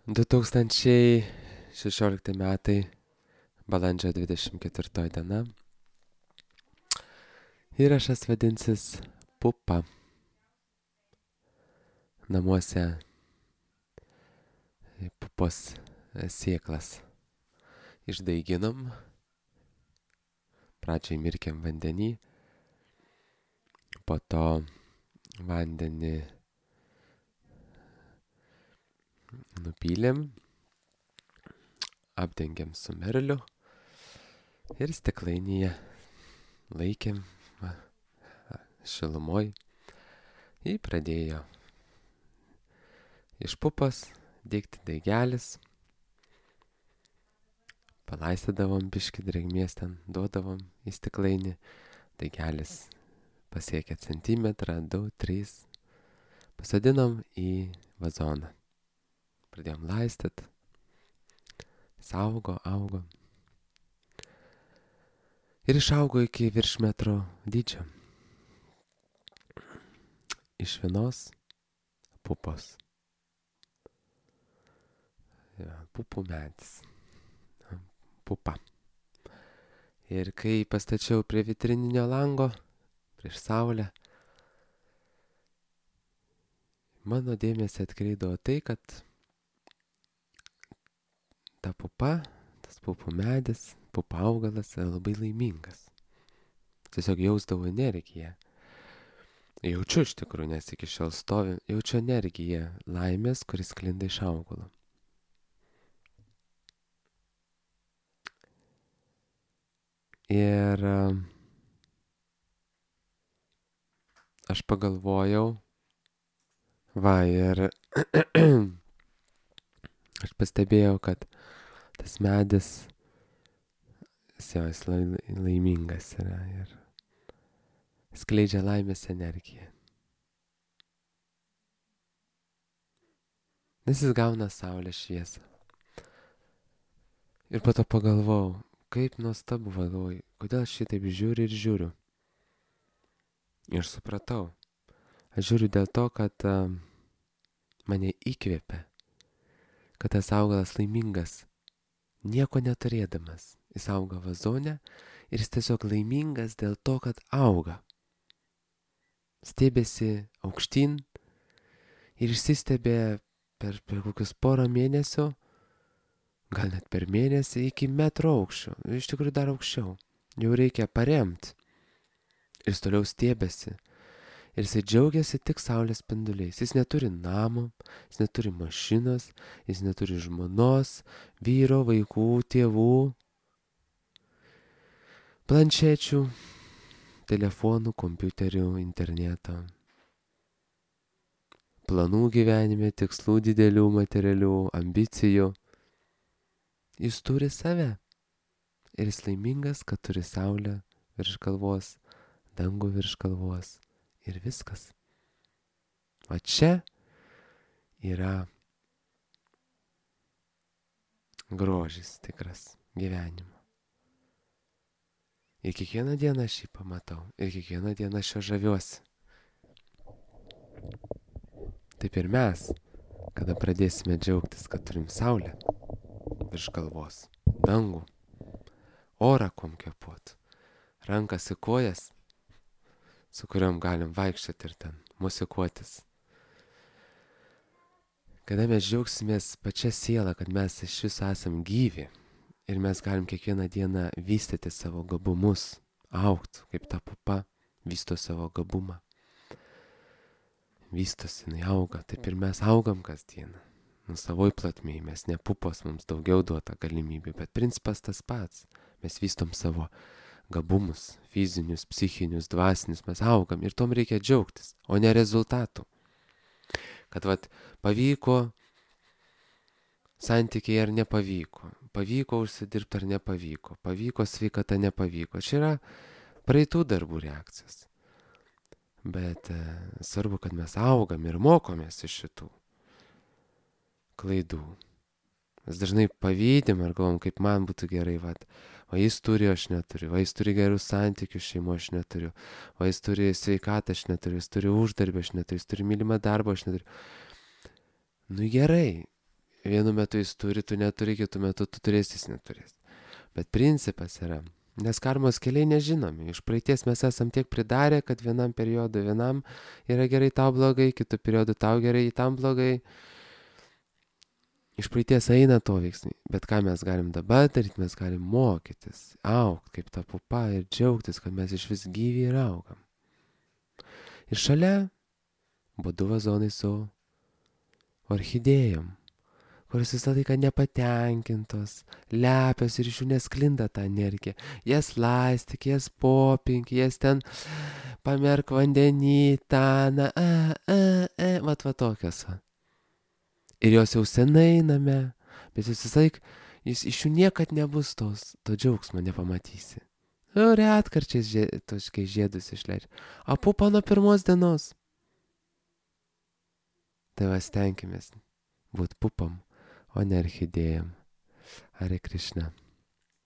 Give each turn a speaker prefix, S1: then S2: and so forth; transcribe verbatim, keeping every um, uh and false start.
S1: du tūkstančiai šešiolikti metai, balandžio dvidešimt ketvirtoji diena. Įrašas vadinsis Pupa. Namuose pupos sėklas išdaiginom, pradžiai mirkėm vandenį, po to vandenį nupylėm, apdengėm su merliu ir stiklainyje laikėm va, šilumoj. Jį pradėjo iš pupos dėkti daigelis, palaistydavom biškį drėgmės ten, duodavom į stiklainį, daigelis pasiekė centimetrą, du, trys, pasodinom į vazoną. Pradėjom laistyt, saugo, augo ir išaugo iki virš metro dydžio. Iš vienos pupos. Ja, pupų medis. Pupa. Ir kai pastačiau prie vitrininio lango, prieš saulę, mano dėmesį atkreipdavo tai, kad ta pupa, tas pupų medis, pupa augalas yra labai laimingas. Tiesiog jausdavau energiją. Jaučiu iš tikrųjų, nes iki šiol stovi, jaučiu energiją laimės, kuris sklinda iš augalo. Ir aš pagalvojau, va, ir aš pastebėjau, kad tas medis, jis laimingas yra ir skleidžia laimės energiją. Nes jis gauna saulės šviesą. Ir po to pagalvojau, kaip nuostabu, galvoju, kodėl šitaip žiūriu ir žiūriu. Ir supratau, aš žiūriu dėl to, kad uh, mane įkvėpia, kad tas augalas laimingas, nieko neturėdamas. Jis auga vazone ir jis tiesiog laimingas dėl to, kad auga. Stebėsi aukštyn ir išsistebė per, per kokius porą mėnesių, gal net per mėnesį iki metro aukščio, iš tikrųjų dar aukščiau. Jau reikia paremti. Ir jis toliau stebėsi. Ir jis džiaugiasi tik saulės spinduliais. Jis neturi namo, jis neturi mašinos, jis neturi žmonos, vyro, vaikų, tėvų, planšečių, telefonų, kompiuterių, interneto, planų gyvenime, tikslų didelių, materialių, ambicijų. Jis turi save. Ir jis laimingas, kad turi saulę virš galvos, dangų virš galvos ir viskas. O čia yra grožis tikras gyvenimo. Ir kiekvieną dieną aš jį pamatau. Ir kiekvieną dieną aš jo žaviuosi. Taip ir mes, kada pradėsime džiaugtis, kad turim saulę virš galvos, dangų, orą kuom kvėpuot, rankas į kojas, su kuriuom galim vaikščioti ir ten musikuotis. Kada mes džiaugsimės pačia siela, kad mes iš viso esam gyvi ir mes galim kiekvieną dieną vystyti savo gabumus, augt, kaip ta pupa vysto savo gabumą. Vystosi, jinai auga, taip ir mes augam kasdieną. Nu, savoj platmėj, mes ne pupos, mums daugiau duota galimybių, bet principas tas pats. Mes vystom savo gabumus, fizinius, psichinius, dvasinius, mes augam ir tom reikia džiaugtis, o ne rezultatų. Kad vat pavyko santykiai ar nepavyko, pavyko užsidirbti ar nepavyko, pavyko sveikata, nepavyko. Čia yra praeitų darbų reakcijas. Bet e, svarbu, kad mes augam ir mokomės iš šitų klaidų. Mes dažnai pavydim ar galvom, kaip man būtų gerai, vat, o jis turi, aš neturiu, o jis turi gerus santykius šeimo, aš neturiu, o jis turi sveikatą, aš neturiu, jis turi uždarbį, aš neturiu, jis turi mylimą darbą, aš neturiu. Nu gerai, vienu metu jis turi, tu neturi, kitu metu tu turėsi, jis neturės. Bet principas yra, nes karmos keliai nežinomi. Iš praeities mes esam tiek pridarę, kad vienam periodui vienam yra gerai, tau blogai, kitų periodų tau gerai, tam blogai. Iš praeities eina to veiksmai. Bet ką mes galim dabar daryti, mes galim mokytis, augti kaip ta pupa ir džiaugtis, kad mes iš vis gyvi ir augam. Ir šalia būdu vazonai su orchidėjom, kurios visą laiką nepatenkintos, lepios ir iš jų nesklinda ta energija. Jas laistyk, jas popink, jas ten pamerk vandenį, tą, a, a, a, vat va tokios. Ir jos jau senai name, bet jūs visą laiką, jūs iš jų niekad nebus tos, to džiaugsmo nepamatysi. O retkarčiais žie, toškai žiedus išleidžia. O pupa nuo pirmos dienos. Tai va stenkimės būt pupam, o ne orchidėjom. Hare Krishna.